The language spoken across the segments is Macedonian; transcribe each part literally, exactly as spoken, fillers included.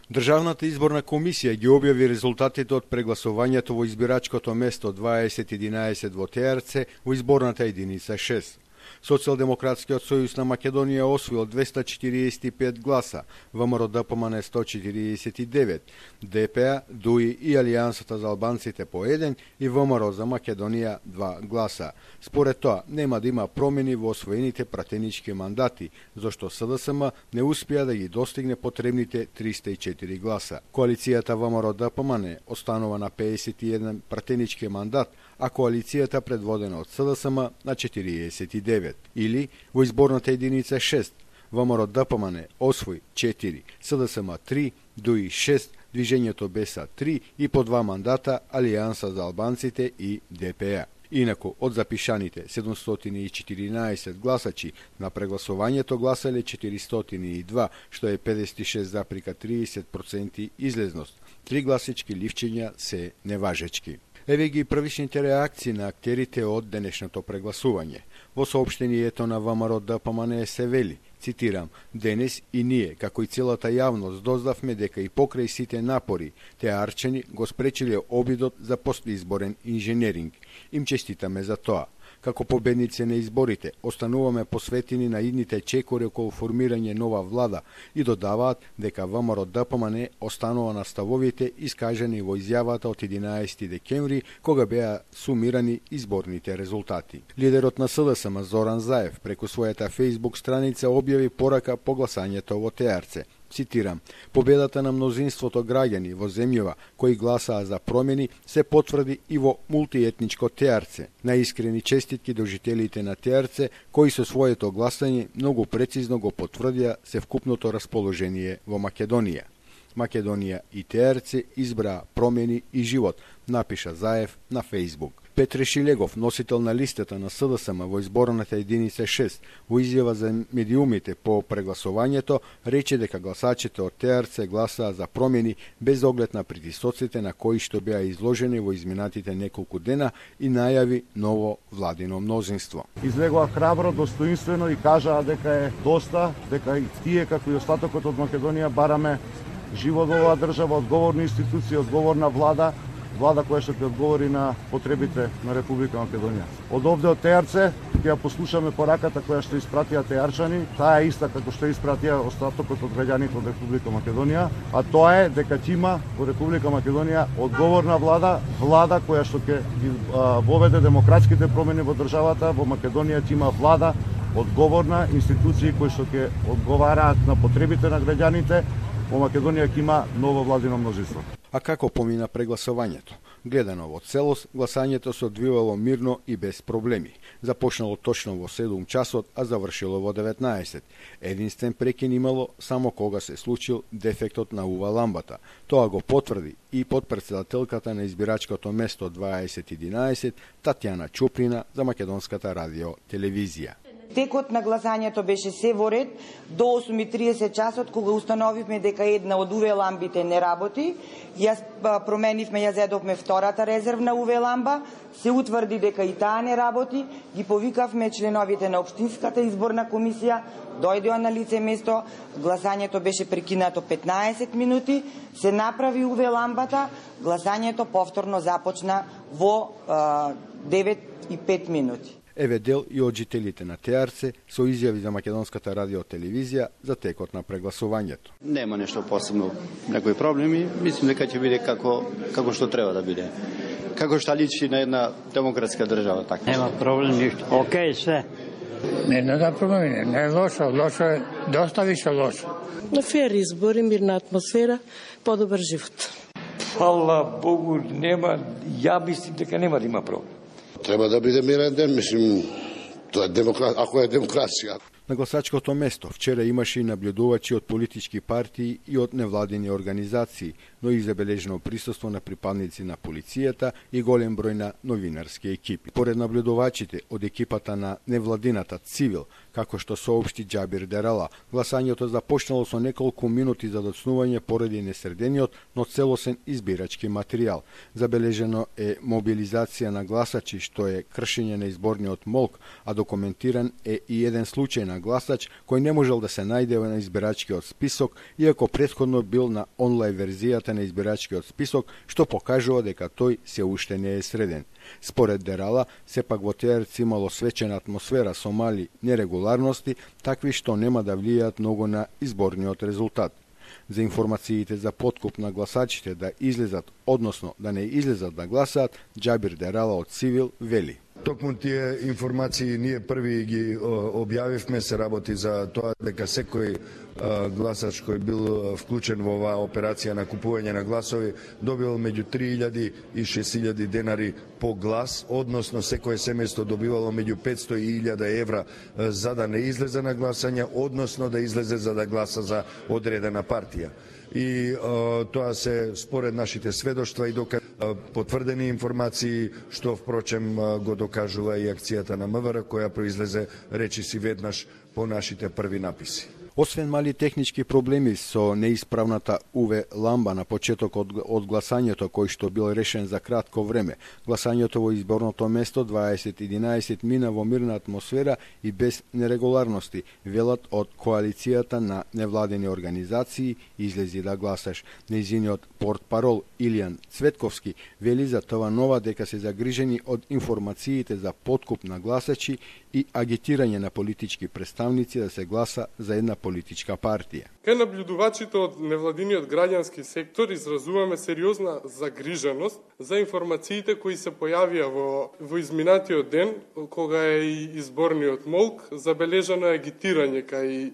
Државната изборна комисија ги објави резултатите од прегласувањето во избирачкото место дваесет единаесет во Теарце во изборната единица шест. Социјалдемократскиот сојуз на Македонија освоил двеста четириесет и пет гласа, ВМРО-ДПМН сто четириесет и девет, ДПА, ДУИ и Алијансата за албанците по еден и ВМРО за Македонија два гласа. Според тоа, нема да има промени во освоените пратенички мандати, зашто СДСМ не успеа да ги достигне потребните триста и четири гласа. Коалицијата ВМРО-ДПМН останува на пеесет и еден пратенички мандат, а коалицијата предводена од СДСМ на четириесет и девет. Или во изборната единица шест, ВМРО-ДПМН освои четири, СДСМ три, ДУИ шест, Движењето Беса три и по два мандата Алијанса за албанците и ДПА. Инаку, од запишаните седумстотини и четиринаесет гласачи, на прегласувањето гласале четиристотини и два, што е педесет и шест запирка триесет проценти излезност. Три гласички ливчења се неважечки. Еве ги првичните реакции на актерите од денешното прегласување. Во соопштението на ВМРО-ДПМН се вели, цитирам, денес и ние, како и целата јавност, дознавме дека и покрај сите напори, теарчани го спречиле обидот за постизборен инженеринг. Им честитаме за тоа. Како победници на изборите, остануваме посветени на идните чекори околу формирање нова влада и додаваат дека ВМРО-ДПМН останува на ставовите искажани во изјавата од единаесети декември, кога беа сумирани изборните резултати. Лидерот на СДСМ Зоран Заев преку својата фејсбук страница објави порака по гласањето во Теарце. Цитирам, победата на мнозинството граѓани во земјава кои гласаа за промени се потврди и во мултиетничко Теарце. Наискрени честитки до жителите на Теарце, кои со своето гласање многу прецизно го потврдија севкупното расположение во Македонија. Македонија и Теарце избраа промени и живот, напиша Заев на Фејсбук. Петре Шилегов, носител на листата на СДСМ во изборната единица шест, во изјава за медиумите по прегласувањето, рече дека гласачите од Теарце гласаа за промени без оглед на притисоците на кои што беа изложени во изминатите неколку дена и најави ново владино мнозинство. Излегоа храбро, достоинствено и кажаа дека е доста, дека и тие како и остатокот од Македонија бараме живот во оваа држава, одговорни институции, одговорна влада, влада која што ќе одговори на потребите на Република Македонија. Од овде од Теарце ќе ја послушаме пораката која што испратија теарчани, таа е иста како што испратија остатокот од граѓаните од Република Македонија, а тоа е дека ќе има во Република Македонија одговорна влада, влада која што ќе воведе демократските промени во државата. Во Македонија ќе има влада одговорна, институции кои што ќе одговараат на потребите на граѓаните. Во Македонија ќе има ново владино мнозинство. А како помина прегласувањето? Гледано во целост, гласањето се одвивало мирно и без проблеми. Започнало точно во седум часот, а завршило во деветнаесет. Единствен прекин имало само кога се случил дефектот на УВА ламбата. Тоа го потврди и подпредседателката на избирачкото место дваесет единаесет Татјана Чуприна за Македонската радио телевизија. Текот на гласањето беше се во ред до осум и триесет часот, кога установивме дека една од УВ ламбите не работи. Јас променивме, ја зедовме втората резервна УВ ламба, се утврди дека и таа не работи, ги повикавме членовите на Општинската изборна комисија, дојдоа на лице место, гласањето беше прекинато петнаесет минути, се направи УВ ламбата, гласањето повторно започна во девет и пет минути. Еве дел и од жителите на Теарце со изјави за Македонската радио телевизија за текот на прегласувањето. Нема нешто посебно, некои проблеми, мислим дека ќе биде како како што треба да биде. Како што личи на една демократска држава, така. Нема проблем ништо. Океј се. Не, не да промени, не е лошо, лошо е, доста више лошо. На фер избори, мирна атмосфера, подобар живот. Фала Богу, нема, ја мислим дека нема да има проблем. Треба да биде мирен ден, мислим, тоа е демокра... ако е демокрација. На гласачкото место вчера имаше и наблюдувачи од политички партии и од невладини организации, но и забележено присуство на припадници на полицијата и голем број на новинарски екипи. Поред наблюдувачите од екипата на невладината Цивил, како што соопшти Џабир Дерала, гласањето започнало со неколку минути за доцнување поради несредениот, но целосен избирачки материјал. Забележено е мобилизација на гласачи, што е кршење на изборниот молк, а документиран е и еден случај на на гласач кој не можел да се најде на избирачкиот список, иако претходно бил на онлайн верзијата на избирачкиот список, што покажува дека тој се уште не е среден. Според Дерала, сепак во Теарци имало свечена атмосфера со мали нерегуларности, такви што нема да влијаат многу на изборниот резултат. За информациите за подкуп на гласачите да излезат, односно да не излезат да гласаат, Џабир Дерала од Цивил вели. Токму тие информации ние први ги објавивме, се работи за тоа дека секој гласач кој бил вклучен во оваа операција на купување на гласови добил меѓу три илјади и шест илјади денари по глас, односно секое семејство добивало меѓу петсто и илјада евра за да не излезе на гласање, односно да излезе за да гласа за одредена партија. И а, тоа се според нашите сведоштва и дока потврдени информации, што впрочем го докажува и акцијата на МВР која произлезе речиси веднаш по нашите први написи. Освен мали технички проблеми со неисправната ю ви ламба на почетокот од гласањето кој што бил решен за кратко време, гласањето во изборното место дваесет единаесет мина во мирна атмосфера и без нерегуларности, велат од коалицијата на невладени организации Излези да гласаш. Нејзиниот портпарол Илијан Цветковски вели за тоа нова дека се загрижени од информациите за подкуп на гласачи и агитирање на политички представници да се гласа за една политичка партија. Кај наблюдувачите од невладиниот граѓански сектор изразуваме сериозна загриженост за информациите кои се појавија во, во изминатиот ден, кога е и изборниот молк, забележано е агитирање кај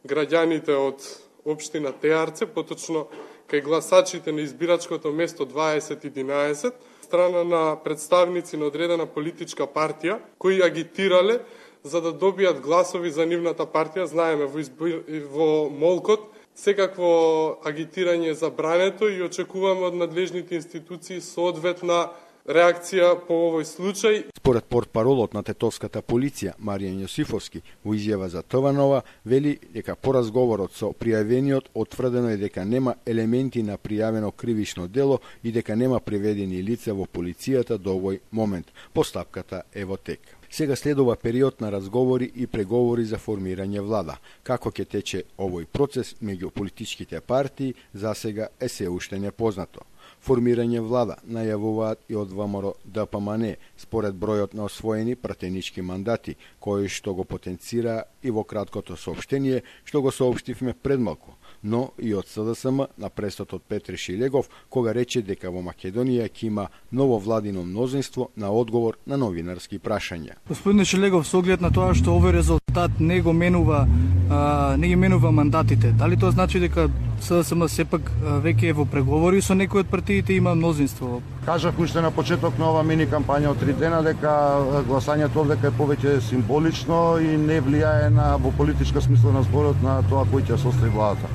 граѓаните од општина Теарце, поточно кај гласачите на избирачкото место дваесет единаесет, страна на представници на одредена политичка партија, кои агитирале за да добијат гласови за нивната партија. Знаеме, во, избир... во молкот секакво агитирање е забрането и очекуваме од надлежните институции соодветна реакција по овој случај. Според портпаролот на тетовската полиција Маријан Јосифовски во изјава за ТВ Нова вели дека по разговорот со пријавениот утврдено е дека нема елементи на пријавено кривично дело и дека нема приведени лица во полицијата до овој момент. Постапката е во тек. Сега следува период на разговори и преговори за формирање влада. Како ќе тече овој процес меѓу политичките партии, засега е се уште непознато. Формирање влада најавуваат и од ВМРО Д П М Н според бројот на освоени пратенички мандати, кои што го потенцира и во краткото соопштение што го соопштивме пред малку, но и од С Д С М на престот Петре Шилегов, кога рече дека во Македонија ќе има ново владино мнозинство на одговор на новинарски прашања. Господине Шилегов, со оглед на тоа што овој резултат не го менува, а, не ги менува мандатите, дали тоа значи дека С Д С М сепак веќе е во преговори со некој од партиите, има мнозинство? Кажав уште на почеток на ова мини кампања од три дена дека гласањето овдека е повеќе символично и не влијае на во политичка смисла на зборот на тоа кој ќе состави владата.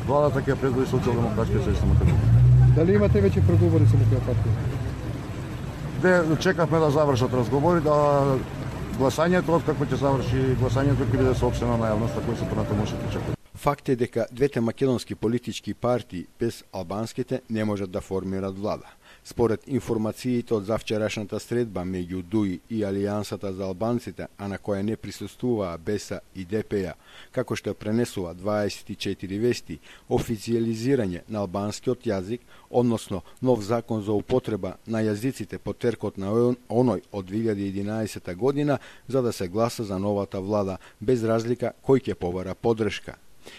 Владата ќе предводи Социјалдемократскиот сојуз на Македонија. Дали имате веќе преговори со некоја партија? Де чекавме да завршат разговори, да гласањето, откако ќе заврши гласањето ќе биде соопштено на јавноста кој се понатаму може да чека. Факт е дека двете македонски политички партии без албанските не можат да формират влада. Според информациите од завчерашната средба меѓу Д У И и Алијансата за албанците, а на која не присуствуваа Б Е С и Д П Ја, како што пренесува дваесет и четири вести, официализирање на албанскиот јазик, односно нов закон за употреба на јазиците по теркот на оној од две илјади и единаесета година, за да се гласа за новата влада, без разлика кој ќе побара поддршка.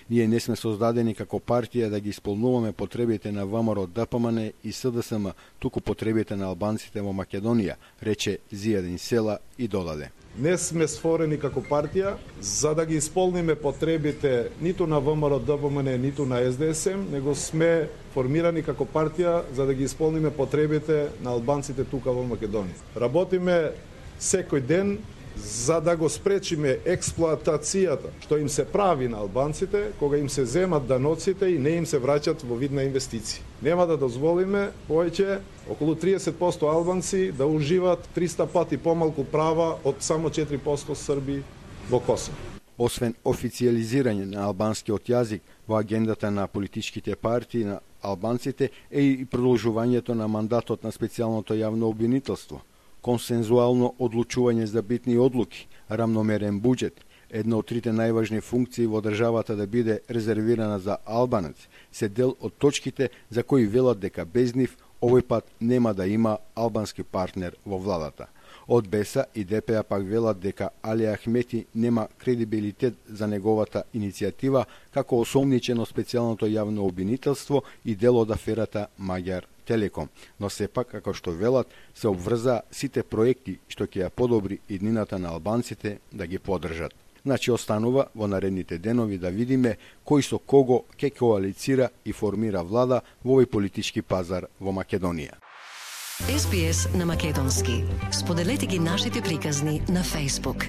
Ние не сме создадени како партија да ги исполнуваме потребите на ВМРО Д П М Н и С Д С М, туку потребите на албанците во Македонија, рече Зијадин Села и додаде. Не сме створени како партија за да ги исполниме потребите ниту на ВМРО Д П М Н, ниту на С Д С М, него сме формирани како партија за да ги исполниме потребите на албанците тука во Македонија. Работиме секој ден за да го спречиме експлоатацијата што им се прави на албанците кога им се земат даноците и не им се враќат во вид на инвестиции. Нема да дозволиме повеќе околу триесет проценти албанци да уживаат триста пати помалку права од само четири проценти Срби во Косово. Освен официализирање на албанскиот јазик во агендата на политичките партии на албанците е и продолжувањето на мандатот на специјалното јавно обвинителство, консензуално одлучување за битни одлуки, рамномерен буџет, една од трите најважни функции во државата да биде резервирана за албанец, се дел од точките за кои велат дека без нив овој пат нема да има албански партнер во владата. Од БЕСА и ДП пак велат дека Али Ахмети нема кредибилитет за неговата иницијатива како осомничено специјалното јавно обвинителство и дел од аферата Маѓар Телеком, но сепак, како што велат, се обврза сите проекти што ќе ја подобри иднината на албанците да ги поддржат. Значи, останува во наредните денови да видиме кој со кого ќе коалицира и формира влада во овој политички пазар во Македонија. Ес Би Ес на македонски. Споделете ги нашите приказни на Facebook.